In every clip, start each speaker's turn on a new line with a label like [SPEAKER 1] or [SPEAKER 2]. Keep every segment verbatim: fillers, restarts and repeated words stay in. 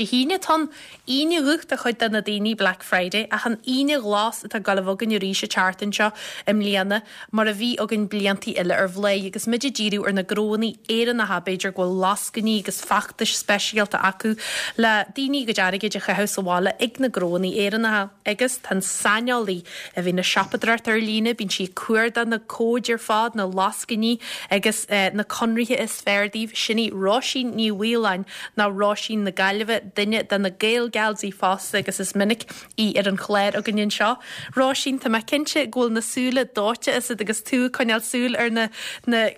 [SPEAKER 1] Dé hAoine atá ann, Aoine Dhubh do chuid de na daoine, Black Friday, ach an Aoine Ghlas atá ag gabháil a bheith againn arís an tseachtain seo i mbliana, mar a bhí againn bliantaí eile ar Bhláth, agus muid ag díriú ar na gnóanna Éireannacha, b'fhéidir go bhfuil lascainí agus feachtais speisialta acu le daoine a gcuid airgid a chaitheamh sa bhaile ag na gnóanna Éireannacha. Agus tá an saineolaí a bhíonn ag siopadóireacht ar líne, bíonn sí ag cuardach na cóid ar fad, na lascainí agus na conarthaí is fearr daoibh, sin í Róisín Ní Mhaoláin, nó Róisín na Gaillimhe, duine de na Gael-Gals fosta agus is minic í ar an chlár againn anseo. Róisín, tá mé cinnte go bhfuil na súile dóite asat agus tú ag coinneáil súil ar na na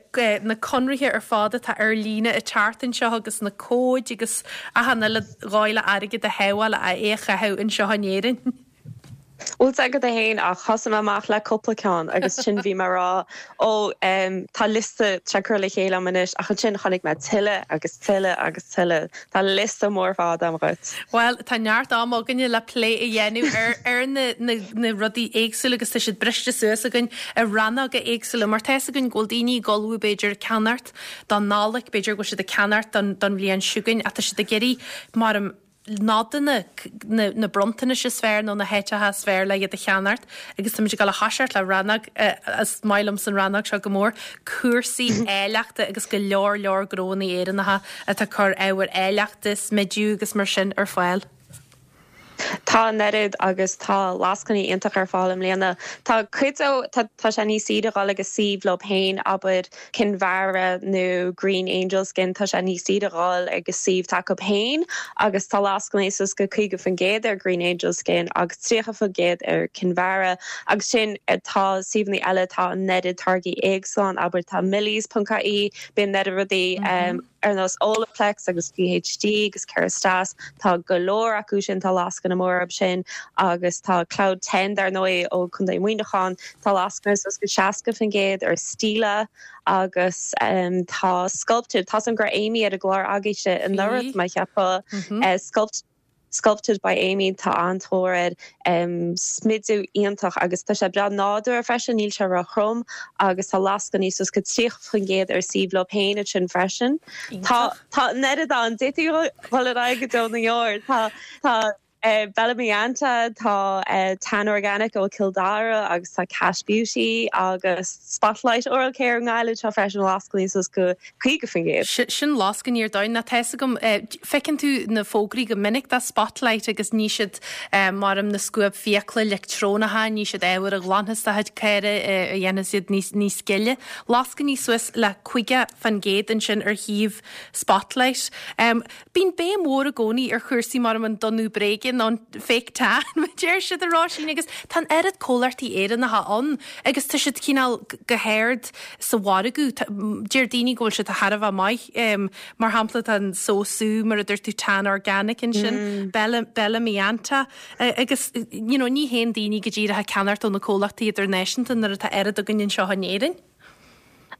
[SPEAKER 1] na conarthaí ar fad atá ar líne an tseachtain seo agus na cóid agus achan uile dhóigh le airgead a shábháil a é a chaitheamh anseo in Éirinn.
[SPEAKER 2] Bhfuil agat a haon ach thosaigh mé amach le cúpla ceann agus sin bhí mé rá ó tá liosta curtha le chéile anois ach ansin chonaic mé tuilleadh agus tuilleadh agus tuilleadh Tá liosta mór fada agam dhuit.
[SPEAKER 1] Well tá neart am againne le plé a dhéanamh ar ar na, na, na rudaí éagsúla agus tá siad briste suas againn i rannóga éagsúla mar tá againn go bhfuil daoine ag ullmhú b'fhéidir ceannacht don Nollaig b'fhéidir go bhfuil siad ag ceannacht don don bhliain seo chugainn ach tá siad ag iarraidh mar nodanna na, na bronntanais is fearr nó na háiteacha is fearr le iad a cheannacht agus tá muid ag dul a thoiseacht le rannóg is maith liom san rannóg seo go mór cúrsaí áilleachta agus go leor leor gnóanna Éireannacha atá ag cur ábhar áilleachta smidiú agus mar sin ar fáil.
[SPEAKER 2] Tá an oiread agus tá lascainí iontach ar fáil i mbliana. Tá cuid tá sé níos saoire dul agus suíomh leo féin abair Kinvara nó Green Angel Skin tá sé níos saoire dul agus suíomh s'acu féin agus tá lascainí suas go caoga faoin gcéad ar Green Angel Skin agus tríocha faoin gcéad ar Kinvara agus sin tá suíomhanna eile tá an oiread táirgí éagsúla abair tá Millies.ie bíonn oiread rudaí mm -hmm. um, ar nós Olaplex agus PhD agus Kerastase tá go leor acu sin tá lascaine mór sin agus tá Cloud Ten dar ndóigh ó Chontae Mhuineacháin tá lascaine suas go seasca faoin gcéad ar Stila agus um, tá Sculpted tá an gur Amy ar a glár agaibhse anuraidh má cheapadh mm -hmm. uh, sculpt Sculpted by Amy tá an-tóir um, smidiú iontach agus tá sé breá nádúrtha freisin níl sé róthrom agus tá lascainí suas go tríocha faoin gcéad ar suíomh leo féin sin freisin. Tá tá oiread an dé go dó na tá tá Uh, Bellamianta tá uh, Tan Organic ó Cill Dara agus tá Cash Beauty agus Spotlight Oral Care ngaile tá freisin lascainí suas go caoga faoin gcéad.
[SPEAKER 1] Sin lascainí ar domhan na tá gom feiceann tú na fógraí go minic do Spotlight agus ní siad mar na scuab fiacla leictreonacha ní siad ábhar a ghlanfas do chéire a dhéanann siad níos níos gile. Lascainí suas le caoga faoin gcéad ansin ar shuíomh Spotlight. Um, Bíonn béim mhór i gcónaí ar chúrsaí mar an donnú bréige an fake tan deir siad a Róisín agus tá oiread comhlachtaí Éireannacha ann agus tá siad cineál go hard sa mhargadh deir daoine go bhfuil siad thar a bheith maith um, mar shampla tá an SoSu mar a dúirt tú Tan Organic ansin mm. Bella, Bellamianta uh, agus you know, ní haon daoine go díreach ag ceannacht ó na comhlachtaí idirnáisiúnta nuair atá oiread againn anseo in Éirinn.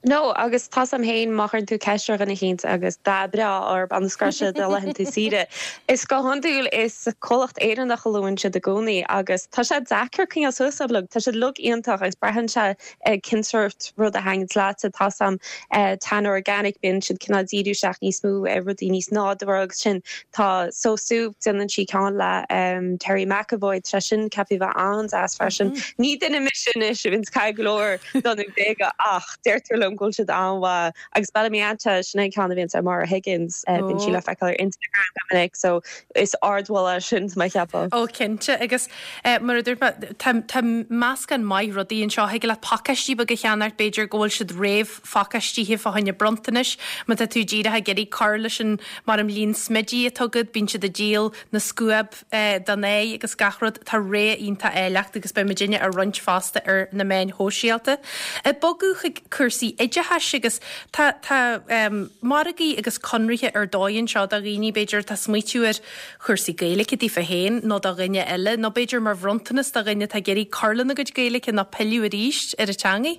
[SPEAKER 2] No agus tá am héin machan tú ceisir ganna chéint agus dá breá ar an scrise de lehan tú síide. Is go hiondúil is comhlacht Éireannach a luann siad i gcónaí agus tá sé deacair coinneáil suas leo Tá sé lug iontach agus braitheann sé cén sórt rud a thaitníonn leat tá sam Tan Organic bíonn siad cineál díriú isteach níos mó ar rudaí níos nádúrtha agus sin tá SoSu déanann sí ceann le um, Terry McAvoy tre sin ceapi bheith an-deas freisin. Mm -hmm. Ní duine mise is bhíonn cai glór don béige ach deirtear liom go bhfuil siad an-mhaith agus Bellamianta sin é ceann a bhíonn Maura Higgins uh, bíonn sí le feiceáil ar Instagram go minic so is ardmholadh sin má cheapadh.
[SPEAKER 1] Ó cinnte agus uh, mar a dúirt tá meascán maith rudaí anseo thig le pacáistí beaga a cheannacht b'fhéidir go bhfuil siad réamhphacáistithe fá choinne bronntanais má tá tú díreach ag iarraidh cur leis an mar an líon smididh atá agat bíonn siad ag díol na scuab uh, don aghaidh agus gach rud tá ré iontach áilleachta agus beidh muidinne á roinnt fosta ar na meáin shóisialta. E bogadh chuig cúrsaí oideachais agus tá tá um, margaí agus conarthaí ar dóigh anseo do dhaoine b'fhéidir tá smaoitiú ar chúrsaí Gaeilge daofa féin nó do dhuine eile nó b'fhéidir mar bhronntanas do dhuine tá ag iarraidh cur lena gcuid Gaeilge nó pilleadh arís ar an teanga.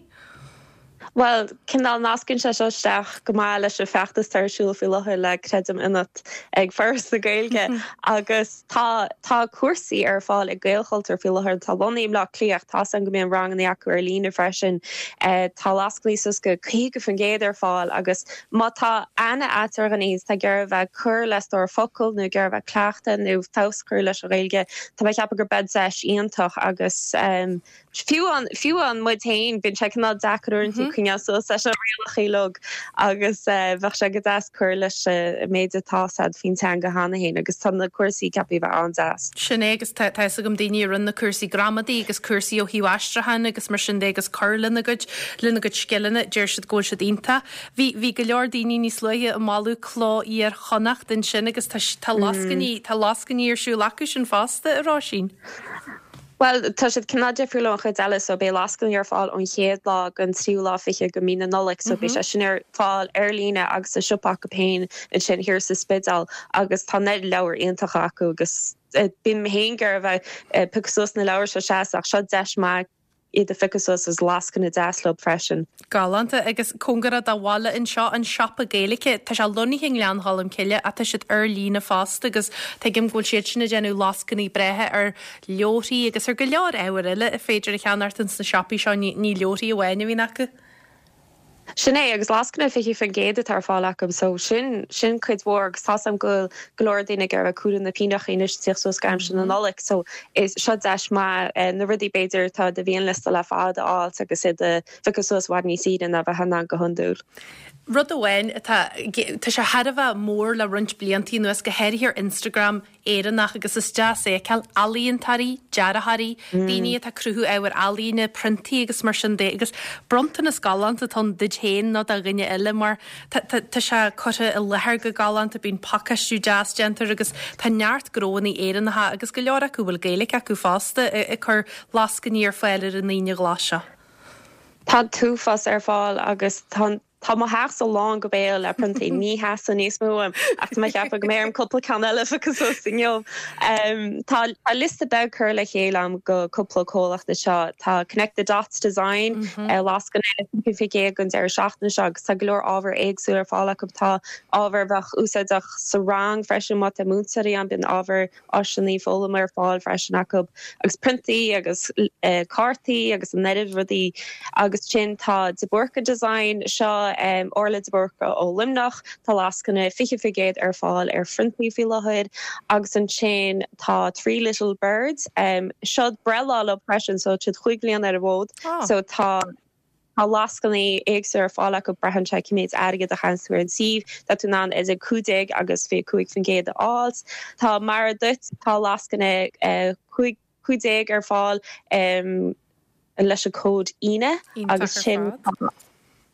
[SPEAKER 2] Well cineál nascann sé seo isteach go maith leis an feachtas ar siúl faoi láthair le Creidim Ionat ag Foras na Gaeilge agus tá tá cúrsaí ar fáil ag Gaelchultúr faoi láthair tá lonnaithe i mBleá Cliath tá an go mbíonn ranganna acu ar líne freisin eh, tá lascainí suas go caoga faoin gcéad ar fáil agus má tá aithne agat ar dhuine tá ag iarraidh bheith cur le stór focal nó ag iarraidh bheith cleachtadh nó feabhas cur leis an Ghaeilge Tá mé ceapadh gur beidh deis iontach agus um, fiú an fiú an muid féin bíonn sé cineál deacair uaireanta coinneáil suas leis an rialacha uilig agus eh, bheadh sé go deas cur leis eh, méid atá agat faoin teanga cheana féin agus tá na cúrsaí ceaptha bheith an-deas.
[SPEAKER 1] Sin é agus tá gom daoine run na cúrsaí gramadaí agus cúrsaí ó thaobh aistriúcháin agus mar sin de agus cur lena gcuid lena gcuid scileanna deir siad go bhfuil siad iontach. Bhí bhí go leor daoine níos luaithe ag moladh Cló Iar-Chonnacht ansin agus tá tá lascainí tá lascainí ar siúl acu sin fosta a Róisín.
[SPEAKER 2] Well tá siad cineál difriúil ón chuid eile so beidh lascainí ar fáil ón chéad lá go tríú lá fiche go mí na Nollag so beidh sé sin ar fáil ar líne agus sa siopa acu féin ansin thiar sa Spidéal agus tá na leabhair iontach acu agus eh, bím féin ag iarraidh bheith eh, piocadh suas na leabhair seo seas ach seo deis maith iad a phiocadh suas is lascaine deas leo freisin.
[SPEAKER 1] Galánta agus cóngarach do bhaile anseo an siopa Gaeilge Tá sé lonnaithe i nGleann Cholm Cille ach tá siad ar líne fosta agus tuigim go bhfuil siad sin ag déanamh lascainí breátha ar leabharthaí agus ar go leor ábhar eile is féidir a cheannacht sna siopaí seo ní ní leabharthaí amháin a bhíonn acu.
[SPEAKER 2] Sin é agus lascaine fiche faoin gcéad atá ar fáil acu so sin sin cuid mhór agus tá am go go leor daoine ag a cúla na pínacha suas gaim sin na Nollag so is seo deis maith eh, na rudaí b'fhéidir tá de bhíon liosta le fada áilt agus iad a phiocadh suas i bhfad níos saoire ná bheith an go hiondúil.
[SPEAKER 1] Rud amháin tá tá sé thar a bheith mór le roinnt blianta anuas go háirithe ar Instagram Éireannach agus is deas é feiceáil ealaíontóirí, dearthóirí, daoine atá cruthú ábhar ealaíne, priontaí agus mar sin de agus bronntanas galánta atá ann duit féin nó do dhuine eile mar tá sé curtha i láthair go galánta bíonn pacáistiú deas déanta agus tá neart gnóanna Éireannacha agus go leor acu bhfuil Gaeilge acu fosta ag cur lascainí ar fáil ar an Aoine Ghlas seo.
[SPEAKER 2] Tá tuas ar fáil agus tá Tá mo theach lán go béal le priontaí ní theastaíonn níos mó ach má cheapadh go mbeidh cúpla ceann eile agus inniu. Tá liosta beag curtha le chéile agam go cúpla comhlacht seo tá Connect the Dots Design mm -hmm. lascaine fiche an deireadh seachtaine seo agus tá go leor ábhar éagsúil ar fáil acu tá ábhar bheadh úsáideach sa rang freisin má tá múinteoirí ann bíonn ábhar áiseanna foghlama ar fáil freisin acu agus priontaí agus uh, cártaí agus an oiread rudaí agus sin tá De Búrca Design seo um, Orla de Búrca ó Luimneach tá lascaine fiche faoin gcéad ar fáil ar phriontaí faoi láthair agus ansin tá Three Little Birds um, seo breithlá leo freisin so siad cúig bliana ar an bhfód oh. so tá Tá lascainí éagsúla ar fáil acu braitheann sé cé méid airgead a chaitheann tú ar an suíomh tá tú in ann idir cúig déag agus fiche cúig faoin gcéad a fháil. Tá mar duit tá lascaine uh, cúig déag ar fáil um, leis an cód Aoine agus sin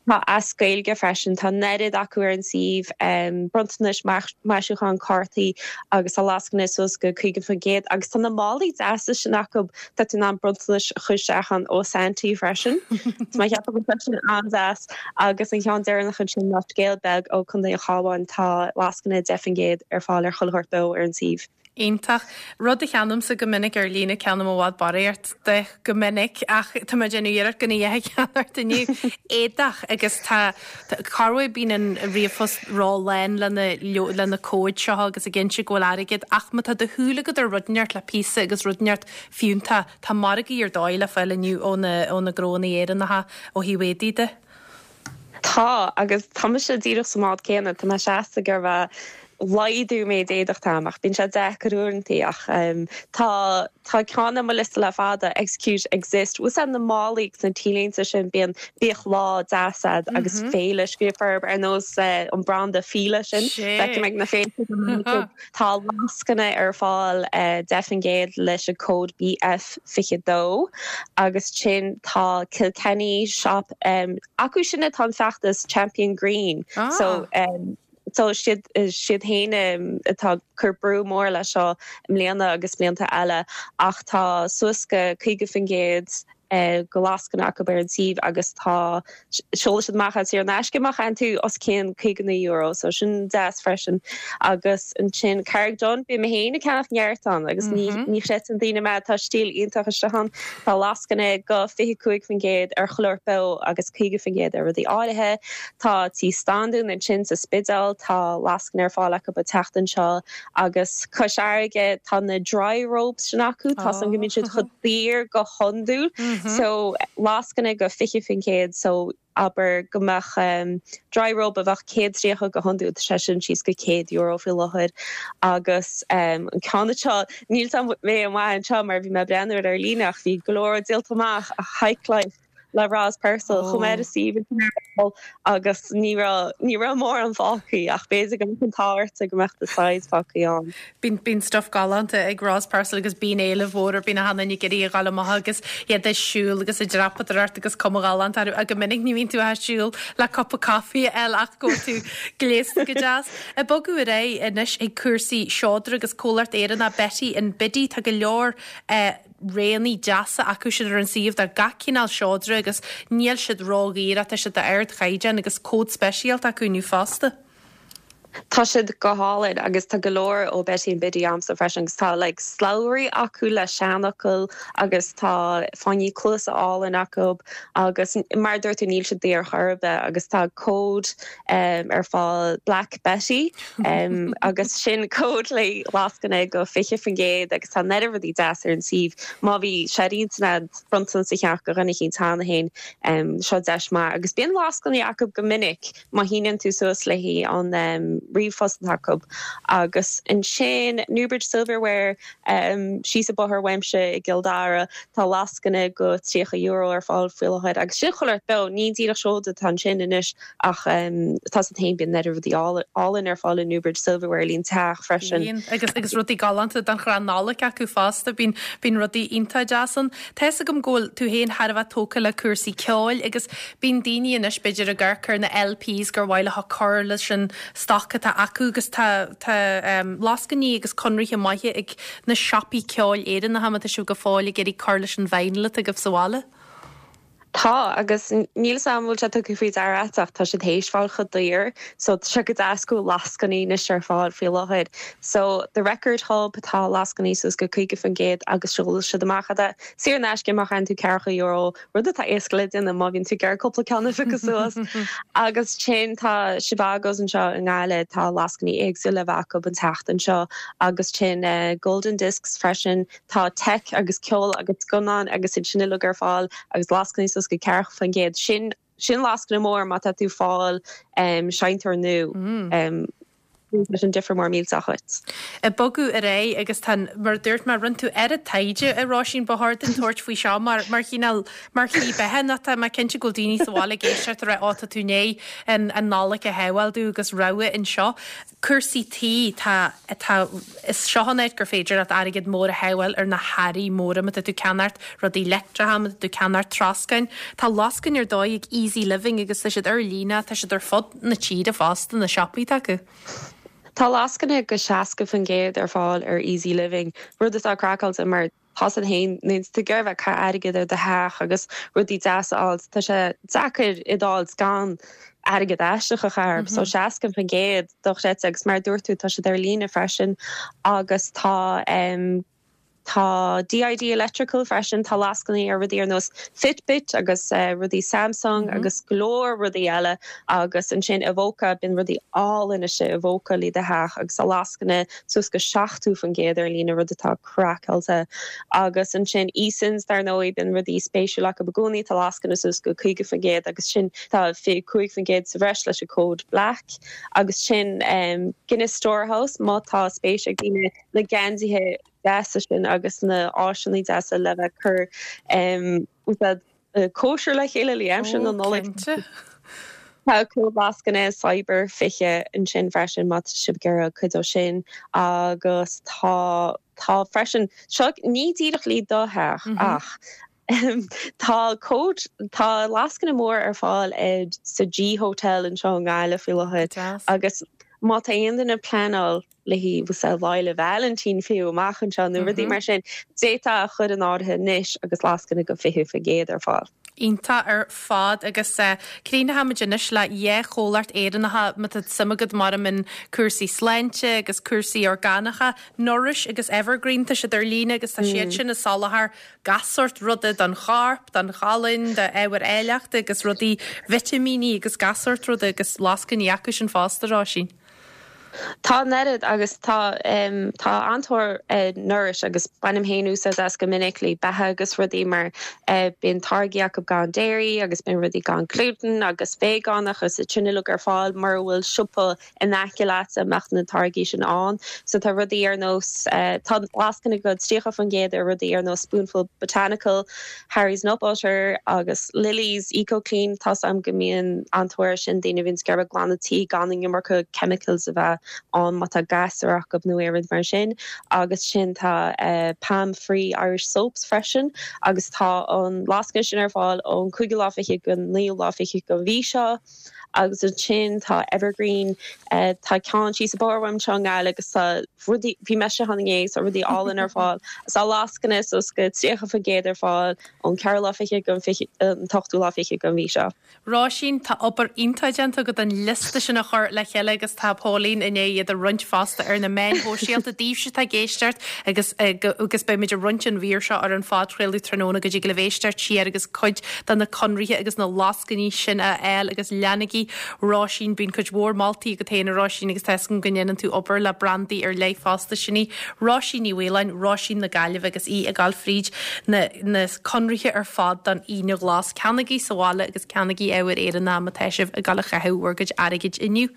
[SPEAKER 2] Tá as Gaeilge freisin tá nead acu ar an suíomh um, bronntanais maisiúchán cártaí agus tá lascaine suas go caoga faoin gcéad agus tá na málaí deasa sin acu tá tú in ann bronntanais a chur isteach ó Santaí freisin. Má cheap sin an-deas agus an ceann deireanach sin ná Scéal Beag ó Chontae an Chabháin tá lascaine deich faoin gcéad ar fáil ar chuile shórt ar an suíomh.
[SPEAKER 1] Iontach rud a cheannaímse go minic ar líne ceannaím i bhfad barraíocht de go minic ach tá mé ag déanamh iarracht gan é a cheannacht inniu éadach agus tá carhid bíonn an ríomhphost ró-lán lena lena cóid seo agus a gcinnte go bhfuil airgead ach má tá do shúil agat ar rud inteacht le píosa agus rud inteacht fiúntach tá margaí ar dóigh le fáil inniu ó na ó na gnóanna Éireannacha ó thaobh éadaí de.
[SPEAKER 2] Tá agus tá sé díreach sa mbád céanna tá mé seasta gur bheith laghdú méid éadach táach bíonn sé deacair uaireanta ach um, tá tá ceann ar mo liosta le fada execute exist Bhfuil na málaí na t-léinte sin bíonn bíoch lá deasad mm -hmm. agus féile scríofa ar nós uh, an branda Fila sin ag na féilte tá lascaine ar fáil uh, deich faoin gcéad leis an cód BF fiche dó agus sin tá Kilkenny shop um, acu sin atá an feachtas Champion Green ah. so um, so siad siad féin atá cur brú mór le seo mbliana agus blianta eile ach tá suas go caoga faoin gcéad go lascaine acu ar an suíomh agus tá seoladh siad amach saor in aisce má chaithfeann tú os cionn caoga naoi euro so sin deas freisin agus ansin Carraig Donn bím féin ag ceannach neart ann agus ní mm -hmm. ní chreideann daoine mé tá stíl iontach istigh ann tá lascaine go fiche cúig faoin gcéad ar chuile shórt beo agus caoga faoin gcéad ar rudaí áirithe tá Tí Standún ansin sa Spidéal tá lascaine ar fáil acu an tseachtain seo agus Cois Fharraige tá na dry robes sin acu tá an go mbíonn siad chomh daor go hiondúil mm -hmm. so lascaine go fiche faoin gcéad so abair go mbeadh um, dry robe a bheadh céad tríocha go hiondúil sé sin síos go céad euro faoi láthair agus um, an ceann seo níl mé amach anseo mar bhí mé ag breathnú ar líne ach bhí go leor díolta amach a Hike Life le Ros Purcell oh. chomh si agus ní ní raibh mórán fágtha ach b'fhéidir go an táirte go mbeadh de size fágtha ann.
[SPEAKER 1] Bíonn bíonn stuff galánta ag Ros Purcell agus bíonn éileamh mhór ar bíonn hana gurí a gáil amach agus iad ag siúl agus ag dreapadóireacht agus cuma ghalánta a go minic ní bhíonn tú ag siúl le cupa caife eile ach go tú gléasta go deas. Ag bogadh ar aghaidh anois ag cúrsaí seodra agus comhlacht Éireannach Betty and Biddy tá go leor eh, roghanna deasa acu siad ar an suíomh de gach cineál seodra agus níl siad ródhaor tá siad d'ardchaighdeán agus cód speisialta acu inniu fosta.
[SPEAKER 2] Tá siad go hálainn agus tá go leor ó Betty and Biddy agamsa freisin agus tá like, slabhraí acu le seanfhocail agus tá fáinní cluasa álainn acu agus mar dúirt tú níl siad daor chor ar bith agus tá cód um, ar fáil Black Betty um, agus sin cód le lascaine go fiche faoin gcéad agus tá neart rudaí deas ar an suíomh má bhí sé ar intinn agat ceann go rinne cinn tana hain um, seo deis maith agus bíonn lascainí acu go minic má shíneann tú suas le an um, ríomhphost acu agus ansin Newbridge Silverware um, síos an bóthar uaimse i gCill Dara tá lascaine go tríocha euro ar fáil faoi láthair agus sin chuile beo ní díreach seoda tá sin anois ach um, tá a haon bíonn neart rudaí álainn ar fáil Newbridge Silverware líon teach freisin.
[SPEAKER 1] agus agus rudaí galánta don chrann Nollag acu fosta bíonn bíonn rudaí iontach deas ann. Tá gom ggóil tú héin thar bheith tógtha le cúrsaí ceoil agus bíonn daoine anois b'fhéidir ag amharc ar na LPs gur mhaith leo cur leis an stoc atá acu agus tá tá um, lascainí agus conarthaí maithe ag na siopaí ceoil Éireannacha tá sibh go fóill ag iarraidh cur leis an vinyl atá agaibh sa bhaile.
[SPEAKER 2] Tá agus níl am bhfuil sé tugtha faoi deara ach tá siad théis fáil chomh daor so se go deasú lascainí anois ar fáil faoi láthair. So the record hub tá lascainí suas go caoga faoin gcéad agus seol siad amach iad saor in aisce má chaithfeann tú ceathracha euro rud atá éasca le déanamh má bhíonn tú ag iarraidh cúpla ceann agus suas. agus sin tá Zhivago's anseo i nGaillimh tá lascainí éagsúla acu an tseachtain seo agus sin uh, Golden Discs freisin tá tech agus ceol agus scannáin agus sin sin ar fáil agus lascainí suas go ceathracha faoin gcéad sin sin lascaine mór má tá tú ag fáil um, seinnteoir nua mm. um, leis an difear mór míle chuit.
[SPEAKER 1] Ag bogadh ar aghaidh agus tá mar dúirt mar rinne tú ar taighde a Róisín ba cheart duinn tabhairt faoi seo mar mar chineál mar shlí beatha nach tá mar cinnte go daoine sa bhaile ag éisteacht ar áta tú né an an Nollaig a shamhlú agus rogha anseo. Cúrsaí tí tá tá is seo an áit gur féidir leat airgead mór a shábháil ar na hearraí móra má tá tú ag ceannacht rudaí leictreacha má tá tú ag ceannacht troscáin. Tá lascaine ar dóigh ag Easy Living agus tá siad ar líne tá siad ar fud na tíre fosta na siopaí acu.
[SPEAKER 2] Tá lascaine go seasca faoin gcéad ar fáil ar Easy Living, rud atá craiceáilte mar tá an haon tú gur bheith ca airgead ar do theach agus rudaí deasa á tá sé deacair i dáil gan airgead aisteach a chaitheamh, mm -hmm. so seasca faoin gcéad dochreidte agus mar dúirt tú tá siad ar líne freisin agus tá um, Tá DID Electrical freisin tá lascainí ar rudaí ar nós Fitbit agus uh, rudaí Samsung mm -hmm. agus go leor rudaí eile agus ansin Avoca bíonn rudaí álainn sé Avoca le do theach agus a lascaine suas go seachtó faoin gcéad ar líne rud atá craiceáilte agus ansin Easons dar ndóigh bíonn rudaí spéisiúla acu i gcónaí tá lascaine suas go caoga faoin gcéad agus sin tá fiche cúig faoin gcéad sa bhreis leis an cód Black agus sin um, Guinness Storehouse má tá spéis ag daoine na geansaithe deasa sin agus na áiseanna deasa le bheith cur um, uh, cóisir le chéile le aimsir na Nollag. Tá cód lascaine cyber fiche ansin freisin má sibh ag iarraidh cuid ó sin agus tá tá freisin seo ní díreach le do theach mm -hmm. ach um, tá cód tá lascaine mór ar fáil ag sa G Hotel anseo i nGaillimh faoi láthair agus Má tá aon duine ag pleanáil le haghaidh Lá 'le Vailintín fiú amach anseo nó rudaí mar sin d'fhéadfá a chur in áirithe anois agus lascaine de fiche faoin gcéad ar fáil.
[SPEAKER 1] Iontach ar fad agus uh, críochnóimid anois le dhá chomhlacht Éireannacha má tá suim agat mar in cúrsaí sláinte agus cúrsaí orgánacha, Nourish agus Evergreen tá siad ar líne agus tá siad mm. sin ag soláthar gach sórt ruda don chorp, don cholainn, d'ábhair áilleachta agus rudaí vitimíní agus gach sórt ruda agus lascainí acu sin fosta Róisín.
[SPEAKER 2] Tá an oiread agus tá um, tá an-tóir uh, Nourish agus bainim féin úsáid as go minic le beatha agus rudaí mar uh, bíonn táirgí acu gan dairy agus bíonn rudaí gan gluten agus vegánach agus sin uilig ar fáil mar bhfuil siopa in aice leat a mbeadh na táirgí sin ann so tá rudaí ar nós uh, tá lascaine de tríocha faoin gcéad ar rudaí ar nós Spoonful Botanical Harry's Nut Butter agus Lily's Eco Clean tá am go mbíonn an-tóir sin daoine bhíonn ag glanadh tí gan an iomarca chemicals a bheith an má tá gasúir acu nó aon rud mar sin agus sin tá uh, Palm Free Irish Soaps freisin agus tá an lascaine sin ar fáil ón cúigiú lá fiche go naoú lá fiche den mhí seo agus ansin tá Evergreen uh, tá ceann sí sa bham teangáil agus bhí me han sa rudaí álainn ar fáil tá lascaine suas go tríocha faoin gcéad ar fáil ón ceathrú lá fiche go an t-ochtú lá fiche den mhí seo.
[SPEAKER 1] Róisín tá obair iontach déanta agat an liosta sin a chur le chéile agus tá Pauline i ndiaidh iad a roinnt fosta ar na meáin shóisialta daoibhse atá ag éisteacht agus agus beimid ag roinnt an mhír seo ar an phodchraoladh tráthnóna go dtig libh éisteacht siar agus cuid de na conarthaí agus na lascainí sin a fháil agus leanaigí Róisín bíonn cuid mhór moltaí agat féin Róisín agus tuigim go ndéanann tú obair le brandaí ar leith fosta sin í Róisín Ní Mhaoláin Róisín na Gaillimhe agus í ag gabháil fríd na, na conarthaí ar fad don Aoine Ghlas ceannaigí sa bhaile agus ceannaigí ábhar Éireannach má tá sibh ag gabháil a chaitheamh bhur gcuid airgid inniu.